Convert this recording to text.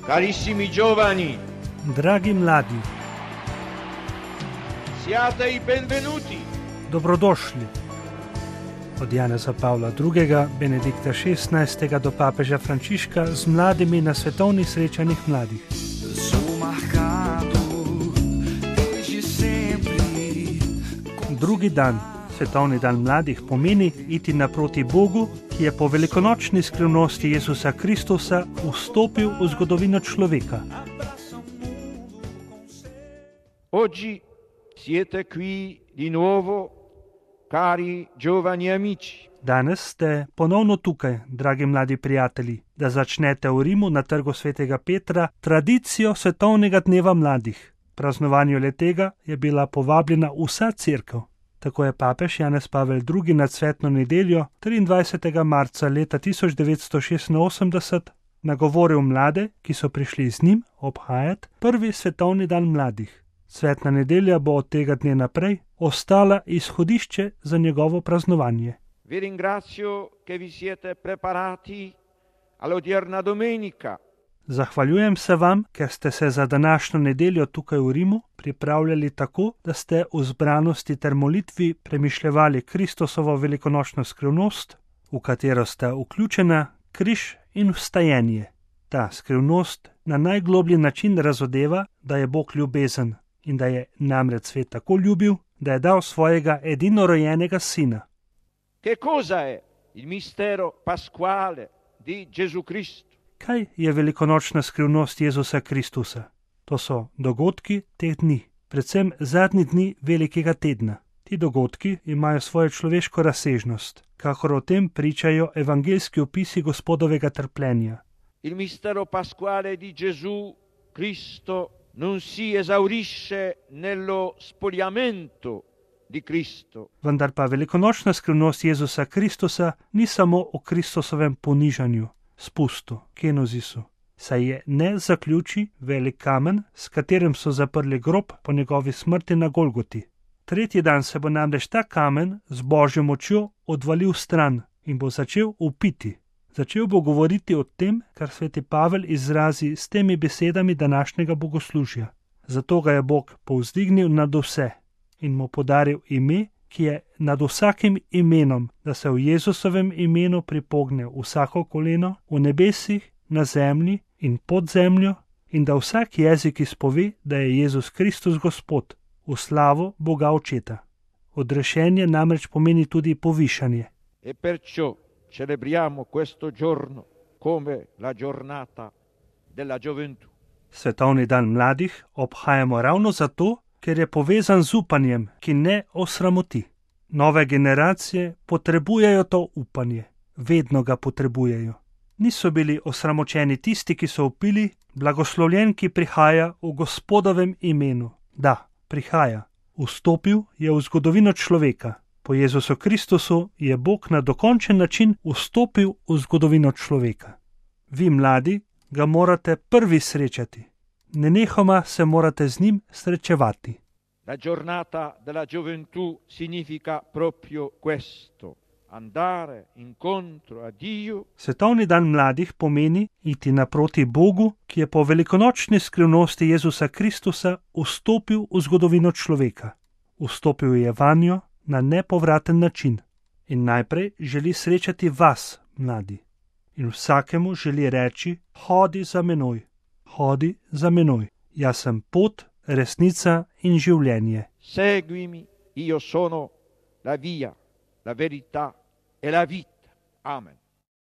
Carissimi giovani, Dragi mladi, siate i benvenuti. dobrodošli. Od Janeza Pavla II., Benedikta XVI. Do papeža Frančiška z mladimi na svetovnih srečanjih mladih. Drugi dan, svetovni dan mladih, pomeni iti naproti Bogu, ki je po velikonočni skrivnosti Jezusa Kristusa vstopil v zgodovino človeka. Oggi siete qui di nuovo, cari giovani amici. Danes ste ponovno tukaj, dragi mladi prijatelji, da začnete v Rimu na trgu svetega Petra tradicijo svetovnega dneva mladih. Praznovanju letega je bila povabljena vsa cerkev. Tako je papež Janez Pavel II. Na cvetno nedeljo 23. marca leta 1986 nagovoril mlade, ki so prišli z njim obhajati prvi svetovni dan mladih. Cvetna nedelja bo od tega dne naprej ostala izhodišče za njegovo praznovanje. Vi ringrazio che vi siete preparati all'odierna domenica. Zahvaljujem se vam, ker ste se za današnjo nedeljo tukaj v Rimu pripravljali tako, da ste v zbranosti ter molitvi premišljevali Kristusovo velikonočno skrivnost, v katero sta vključena križ in vstajenje. Ta skrivnost na najgloblji način razodeva, da je Bog ljubezen in da je namreč svet tako ljubil, da je dal svojega edinorojenega sina. Che cosa è il mistero pasquale di Gesù Cristo? Kaj je velikonočna skrivnost Jezusa Kristusa? To so dogodki teh dni, predvsem zadnji dni velikega tedna. Ti dogodki imajo svojo človeško razsežnost, kakor o tem pričajo evangeljski opisi Gospodovega trpljenja. Il mistero pasquale di Gesù Cristo non si esaurisce nello spogliamento di Cristo. Vendar pa velikonočna skrivnost Jezusa Kristusa ni samo o Kristusovem ponižanju, spustu, kenozisu, saj je ne zaključi velik kamen, s katerim so zaprli grob po njegovi smrti na Golgoti. Tretji dan se bo namreč ta kamen z Božjo močjo odvalil stran in bo začel vpiti. Začel bo govoriti o tem, kar sveti Pavel izrazi s temi besedami današnjega bogoslužja. Zato ga je Bog povzdignil nad vse in mu podaril ime, ki je nad vsakim imenom, da se v Jezusovem imenu pripogne vsako koleno v nebesih, na zemlji in pod zemljo in da vsak jezik izpove, da je Jezus Kristus Gospod, v slavo Boga Očeta. Odrešenje namreč pomeni tudi povišanje. E perciò celebriamo questo giorno come la giornata della gioventù. Svetovni dan mladih obhajamo ravno zato, ker je povezan z upanjem, ki ne osramoti. Nove generacije potrebujejo to upanje, vedno ga potrebujejo. Niso bili osramočeni tisti, ki so vpili, blagoslovljen, ki prihaja v Gospodovem imenu. Da, prihaja. Vstopil je v zgodovino človeka. Po Jezusu Kristusu je Bog na dokončen način vstopil v zgodovino človeka. Vi, mladi, ga morate prvi srečati. Nenehoma se morate z njim srečevati. La giornata della gioventù significa proprio questo, andare incontro a Dio. Svetovni dan mladih pomeni iti naproti Bogu, ki je po velikonočni skrivnosti Jezusa Kristusa vstopil v zgodovino človeka. Vstopil je vanjo na nepovraten način in najprej želi srečati vas, mladi. In vsakemu želi reči, hodi za menoj, hodi za menoj. Jaz sem pot, resnica in življenje. Seguimi, io sono la via, la verità e la vita. Amen.